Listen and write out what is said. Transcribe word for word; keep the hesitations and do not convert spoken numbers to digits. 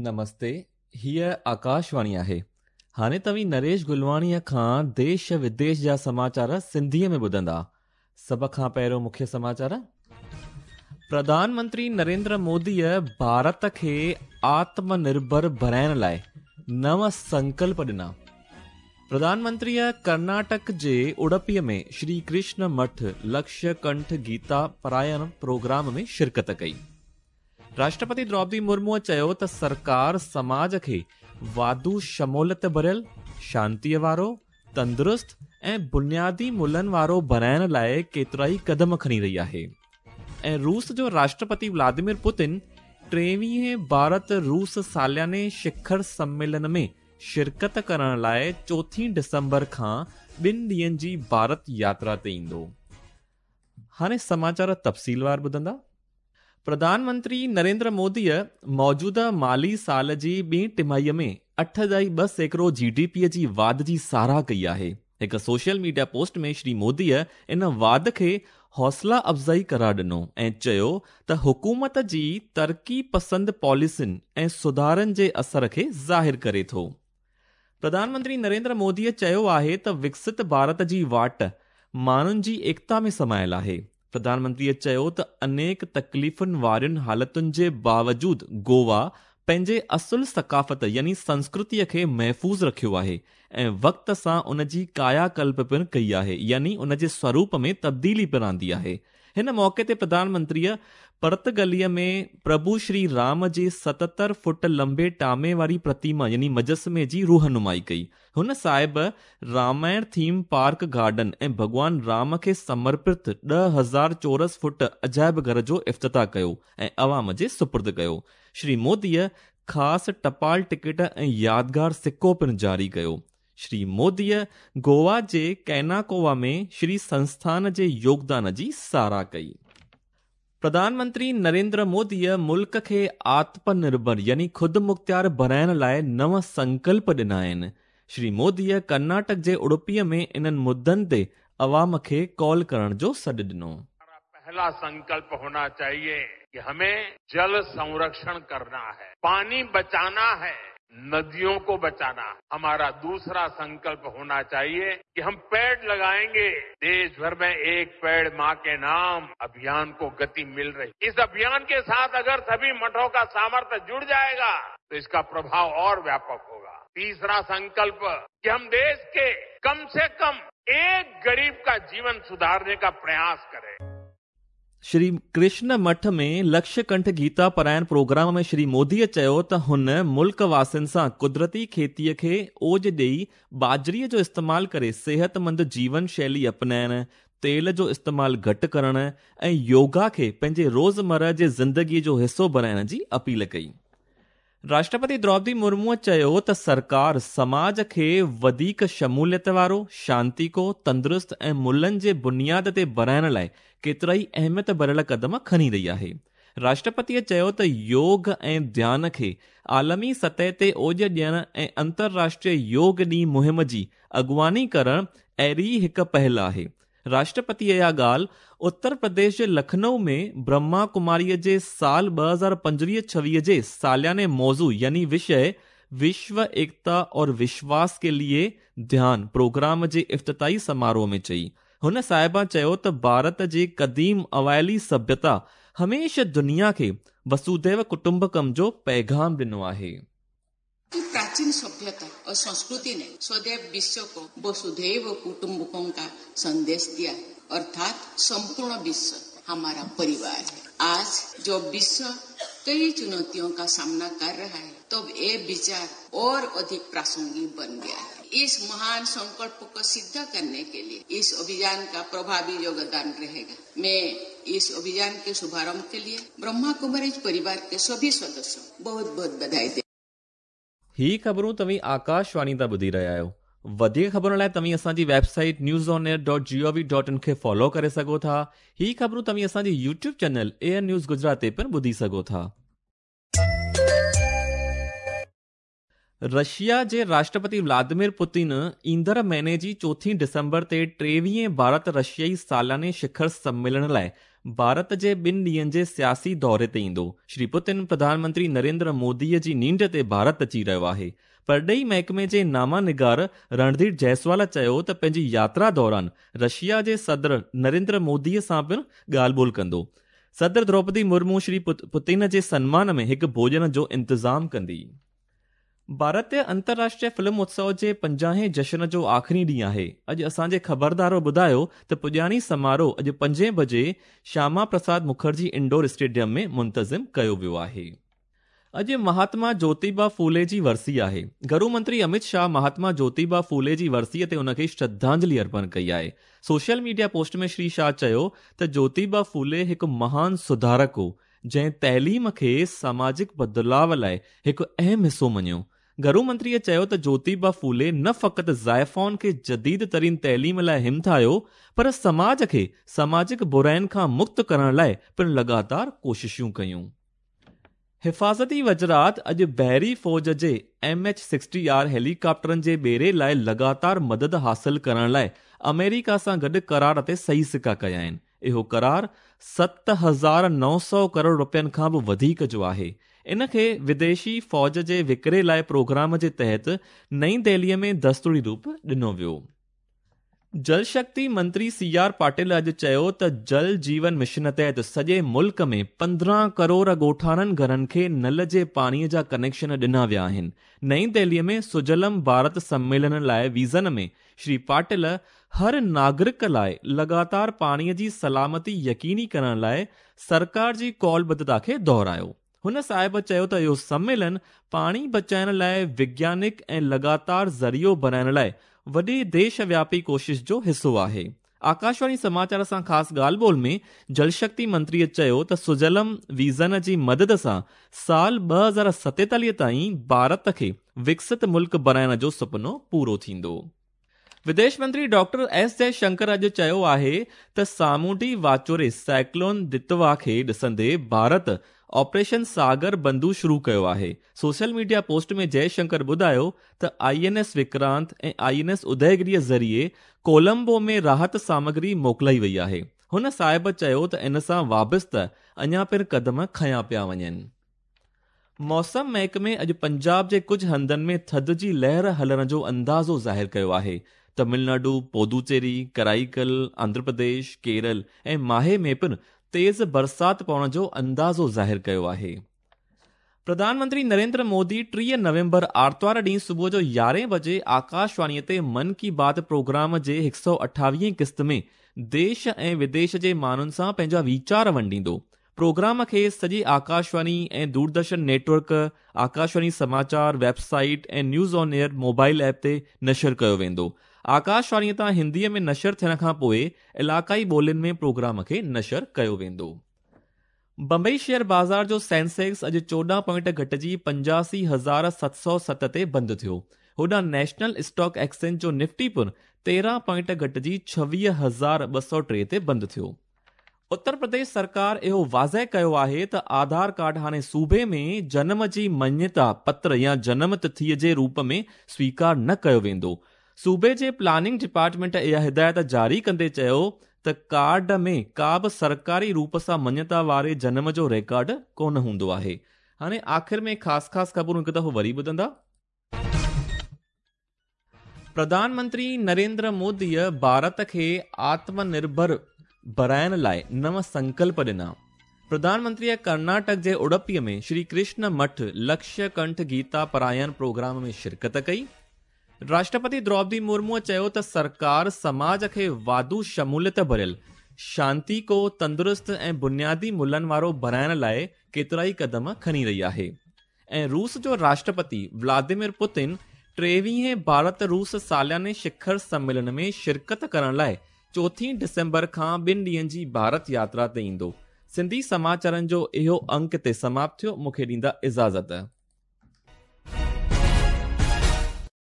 نمستي، هيء آڪاشواڻي آهي. هاڻي توهين نريش گلواڻيء کان ديش وديش جا سماچار سنڌيء ۾ ٻڌندا. سڀ کان پهريون مکيه سماچار. پرڌان منتري نريندر موديء ڀارت کي آتم نرڀر بڻائڻ لاء نو سنڪلپ ڏنا. پرڌان منتريء ڪرناٽڪ جي اڊپيء ۾ شري ڪرشن مٺ لڪشيه ڪنٺ گيتا پرايڻ پروگرام ۾ شرڪت ڪئي. راشٽرپتي دروپدي مرموء چيو ته سرڪار سماج کي واڌو شموليت ڀريل، شانتيء وارو، تندرست ۽ بنيادي ملهن وارو بڻائڻ لاء ڪيترائي قدم کڻي رهي آهي. ۽ روس جو راشٽرپتي ولاديمير پوتن ٽيويهين ڀارت روس سالياني شکر سميلن ۾ شرڪت ڪرڻ لاء چوٿين ڊسمبر کان ٻن ڏينهن جي ڀارت ياترا تي ايندو. هاڻي سماچار تفصيلوار ٻڌندا. پرڌان منتري نريندر موديء موجوده مالي سال جي ٻي ٽماهيء ۾ اٺ ڏهائي ٻه سيڪڙو جي ڊي پيء جي واڌ جي ساراهه ڪئي آهي. هڪ سوشل ميڊيا پوسٽ ۾ شري موديء ان واڌ کي حوصلا افزائي قرار ڏنو ۽ چيو ته حڪومت جي ترقي پسند پاليسين ۽ سڌارن جي اثر کي ظاهر ڪري ٿو. پرڌان منتري نريندر موديء چيو آهي ته وڪست ڀارت جي واٽ ماڻهن جي ايڪتا ۾ سمايل آهي. پرڌان منتريء چيو ته انيڪ تڪليفن وارين حالتن جي باوجود گوا پنهنجي اصل ثقافت يعني سنسڪرتيء کي محفوظ رکيو آهي ۽ وقت سان ان جي ڪايا ڪلپ پڻ ڪئي آهي يعني ان جي سوروپ ۾ تبديلي پڻ آندي آهي. هن موقعي تي پرڌان منتريء پرتگليء ۾ پرڀو شري رام جي ستهتر فوٽ لمبي ٽامي واري پرتيما يعني مجسمي جي روحنمائي ڪئي. هن صاحب رامائڻ ٿيم پارڪ گارڊن ۽ ڀڳوان رام کي سمرپت ڏهه هزار چورس فوٽ عجائب گهر جو افتتاح ڪيو ۽ عوام جي سپرد ڪيو. شري موديء خاص ٽپال ٽڪيٽ ۽ يادگار سڪو پڻ جاري ڪيو. شري موديء گوا جي ڪيناڪووا ۾ شري سنسٿان جي يوگدان جي ساراهه ڪئي. پرڌان منتري نريندر موديء ملڪ کي آتم نرڀر يعني خود مختيار بڻائڻ لاء نو سنڪلپ ڏنا آهن. شري موديء ڪرناٽڪ جي اڊپيء ۾ انهن مدن تي عوام کي ڪال ڪرڻ جو سڏ ڏنو. پهلا سنڪلپ هونا چاهيي ڪه همين جل سنرڪشڻ ڪرنا هي، پاني بچانا هي، نديون ڪو بچانا. همارا دوسرا سنڪلپ هونا چاهيي ڪه هم پيڙ لگائينگي. ديش ڀر مين ايڪ پيڙ مان ڪي نام اڀيان ڪو گتي مل رهي. اس اڀيان ڪي ساٿ اگر سڀي مٺون ڪا سامرٿ جڙ جائيگا تو اس ڪا پرڀاو اور وياپڪ هوگا. تيسرا سنڪلپ ڪه هم ديش ڪي ڪم سي ڪم ايڪ غريب ڪا جيون سڌارني ڪا پرياس ڪري. شري ڪرشن مٺ ۾ لڪشيه ڪنٺ گيتا پرائڻ پروگرام ۾ شري موديء چيو ته هن ملڪ واسين سان قدرتي کيتيء کي اوج ڏيئي ٻاجهريء جو استعمال ڪري صحتمند جيون شيلي اپنائڻ، تيل جو استعمال گهٽ ڪرڻ ۽ يوگا کي پنهنجي روزمره جي زندگيء جو حصو بڻائڻ جي اپيل ڪئي. راشٽرپتي دروپدي مرموء چيو ته سرڪار سماج کي وڌيڪ شموليت وارو، شانتيڪو، تندرست ۽ ملهن جي بنياد تي بڻائڻ لاء ڪيترائي اهميت ڀريل قدم کڻي رهي آهي. راشٽرپتيء چيو ته يوگ ۽ ڌيان کي عالمي سطح تي اوج ڏيڻ ۽ انترراشٽريه يوگ ڏينهن مهم جي اڳواڻي ڪرڻ اهڙي ئي هڪ پهل آهي. راشٽرپتيء اها ڳالهه اتر پرديش جي لکنؤ ۾ برهما ڪماريء جي سال ٻه هزار پنجويهه ڇويهه جي سالياني موضوع يعني وشيه وشو ايڪتا اور وشواس ڪي ليي ڌيان پروگرام جي افتتاحي سماروهه ۾ چئي. هن صاحبه چيو ته ڀارت جي قديم اوائلي سڀيتا هميشه دنيا کي وسوديو ڪٽنبڪم جو پيغام ڏنو آهي. प्राचीन सभ्यता और संस्कृति ने सदैव विश्व को वसुधैव कुटुंबकम का संदेश दिया, अर्थात संपूर्ण विश्व हमारा परिवार है। आज जो विश्व कई चुनौतियों का सामना कर रहा है, तब ये विचार और अधिक प्रासंगिक बन गया है। इस महान संकल्प को सिद्ध करने के लिए इस अभियान का प्रभावी योगदान रहेगा। मैं इस अभियान के शुभारंभ के लिए ब्रह्मा कुमारी परिवार के सभी सदस्यों बहुत बहुत बधाई दे। ही ख़बरूं तव्हीं आकाशवाणी तां ॿुधी रहिया आहियो। वधीक ख़बरुनि लाइ तव्हीं असांजी website news on air dot G O V dot in खे फॉलो करे सघो था। ही ख़बरूं तव्हीं असांजी YouTube channel air news Gujarat ते पिणु ॿुधी सघो था। रशिया जे राष्ट्रपति व्लादिमीर पुतिन ईंदड़ महीने जी चोथीं डिसंबर ते टेवीहें भारत रशियाई सालाने शिखर सम्मेलन लाइ ڀارت جي ٻن ڏينهن جي سياسي دوري تي ايندو. شري پوتن پرڌان منتري نريندر موديءَ جي نينڍ تي ڀارت اچي رهيو آهي. پرڏيهي محڪمي جي ناما نگار رڻڌير جئسوال چيو ته پنهنجي ياترا دوران رشيا جي صدر نريندر موديءَ سان پڻ ڳالهه ٻولهه ڪندو. صدر دروپدي مرمو شري پوتن جي سنمان ۾ هڪ ڀوڄن جو انتظام ڪندي. ڀارتيه انترراشٽريه فلم اتسو جي پنجاهين جشن جو آخري ڏينهن آهي. اڄ اسان جي خبردار ٻڌايو ته پڄاڻي سماروهه اڄ پنجين بجي شياما پرساد مکرجي انڊور اسٽيڊيم ۾ منتظم ڪيو ويو آهي. اڄ مهاتما جوتيبا ڦولي جي ورسي آهي. گهرو منتري امت شاهه مهاتما جوتيبا ڦولي جي ورسيءَ تي ان کي شرڌانجلي ارپڻ ڪئي آهي. Social media post ۾ Shri Shah چيو ته جوتيبا ڦولي هڪ مهان سڌارڪ هو، جنهن تعليم کي ساماجڪ بدلاءُ لاءِ هڪ اهم حصو مڃيو. گهرو منتريءَ چيو ته جوتيبا ڦولي نه فقط زائفائن کي جديد ترين تعليم لاءِ همٿايو، پر سماج کي ساماجڪ براين کان مڪت ڪرڻ لاءِ پڻ لڳاتار ڪوششون ڪيون. حفاظتي وزارت اڄ بحري فوج جي ايم ايڇ سڪسٽي آر هيليڪاپٽرن جي ٻيڙي لاءِ لڳاتار مدد حاصل ڪرڻ لاءِ آمريڪا سان گڏ قرار تي صحيح سڪا ڪيا آهن. اهو قرار ست هزار نو سؤ ڪروڙ رپين کان به وڌيڪ جو آهي. ان کي وديشي فوج جي وڪري لاءِ پروگرام جي تحت نئين دهليءَ ۾ دستوري روپ ڏنو ويو. جل شڪتي منتري سي آر پاٽل اڄ چيو ته جل جيون مشن تحت سڄي ملڪ ۾ پندرهن ڪروڙ ڳوٺاڻن گهرن کي نل جي پاڻيءَ جا ڪنيڪشن ڏنا ويا آهن. نئين دهليءَ ۾ سجلم ڀارت سميلن لاءِ ويزن ۾ شري پاٽل هر ناگرڪ لاءِ لڳاتار پاڻيءَ جي سلامتي يقيني ڪرڻ لاءِ سرڪار جي ڪالبڌتا کي دهرايو. هن صاحب چيو ته اهو سميلن پاڻي بچائڻ لاءِ وگيانڪ ۽ لڳاتار ذريعو بڻائڻ لاءِ وڏي ديش وياپي ڪوشش جو حصو آهي. آڪاشواڻي سماچار سان خاص ڳالهه ٻولهه ۾ جل شڪتي منتريءَ چيو ته سجلم ويزن جي مدد سان سال ٻه هزار ستيتاليهه تائين ڀارت کي وڪست ملڪ بڻائڻ جو سپنو پورو ٿيندو. وديش منتري ڊاڪٽر ايس جئشنڪر اڄ چيو آهي ته سامونڊي واچوڙي سائيڪلون دتوا کي ڏسندي ڀارت آپريشن ساگر بنڌو شروع ڪيو آهي. سوشل ميڊيا پوسٽ ۾ جئشنڪر ٻڌايو ته I N S Vikrant ۽ I N S اديگريءَ ذريعي ڪولمبو ۾ راحت سامگري موڪلائي وئي آهي. هن صاحب چيو ته ان سان وابسته اڃا پڻ قدم کنيا پيا وڃن. موسم محڪمي اڄ پنجاب جي ڪجهه هنڌن ۾ ٿڌ جي لهر هلڻ جو اندازو ظاهر ڪيو آهي. تامل ناڊو، پودوچيري، ڪرائيڪل، آنڌرا پرديش، ڪيرل ۽ ماهي ۾ پڻ تيز برسات پوڻ جو اندازو ظاهر ڪيو آهي. پرڌان منتري نريندر مودي ٽيهه نومبر آرتوار ڏينهن صبح جو يارهين بجي آڪاشواڻيءَ تي من ڪي بات پروگرام جي هڪ سؤ اٺاويهين قسط ۾ ديش ۽ وديش جي ماڻهن سان پنهنجا ويچار ونڊيندو. پروگرام کي سڄي Akashvani ۽ Doordarshan net work, Akashvani Samachar web site ۽ news on air mobile app تي نشر ڪيو ويندو. آڪاشواڻيءَ تان هنديءَ ۾ نشر ٿيڻ کان پوءِ علائقائي ٻولين ۾ پروگرام کي نشر ڪيو ويندو. بمبئي شيئر بازار جو سينسيڪس اڄ چوڏهن پوائنٽ گهٽجي پنجاسي هزار ست سؤ ست تي بند ٿيو. هوڏانهن نيشنل اسٽاڪ ايڪسچينج جو نفٽي پڻ تيرهن پوائنٽ گهٽجي ڇويهه هزار ٻه سؤ ٽي تي بند ٿيو. اتر پرديش سرڪار اهو واضح ڪيو آهي ته آڌار ڪارڊ هاڻي صوبي ۾ جنم جي مڃتا پتر يا جنم تٿيءَ جي روپ ۾ سويڪار نه ڪيو ويندو. صوبي جي پلاننگ ڊپارٽمينٽ اها هدايت جاري ڪندي چيو ته ڪارڊ ۾ ڪا به سرڪاري روپ سان مڃتا واري جنم جو رڪارڊ ڪونه هوندو آهي. هاڻي آخر ۾ خاص خاص خبرون هڪ دفعو وري ٻڌندا. پرڌان منتري نريندر موديءَ ڀارت کي آتم نرڀر بڻائڻ لاءِ نو سنڪلپ ڏنا. پرڌان منتريءَ ڪرناٽڪ جي اڊپيءَ ۾ شري ڪرشن مٺ لڪشيه ڪنٺ گيتا پرايڻ پروگرام ۾ شرڪت ڪئي. راشٽرپتي دروپدي مرموءَ چيو ته سرڪار سماج کي واڌو شموليت ڀريل، شانتيڪو، تندرست ۽ بنيادي ملهن وارو بڻائڻ لاءِ ڪيترائي قدم کڻي رهي آهي. ۽ روس جو راشٽرپتي ولاديمير پوتن ٽيويهين ڀارت روس سالياني شکر سميلن ۾ شرڪت ڪرڻ لاءِ چوٿين ڊسمبر کان ٻن ڏينهن جي ڀارت ياترا تي ايندو. سنڌي سماچارن جو اهو انڪ تي سماپت ٿيو. مون کي ڏيندا اجازت.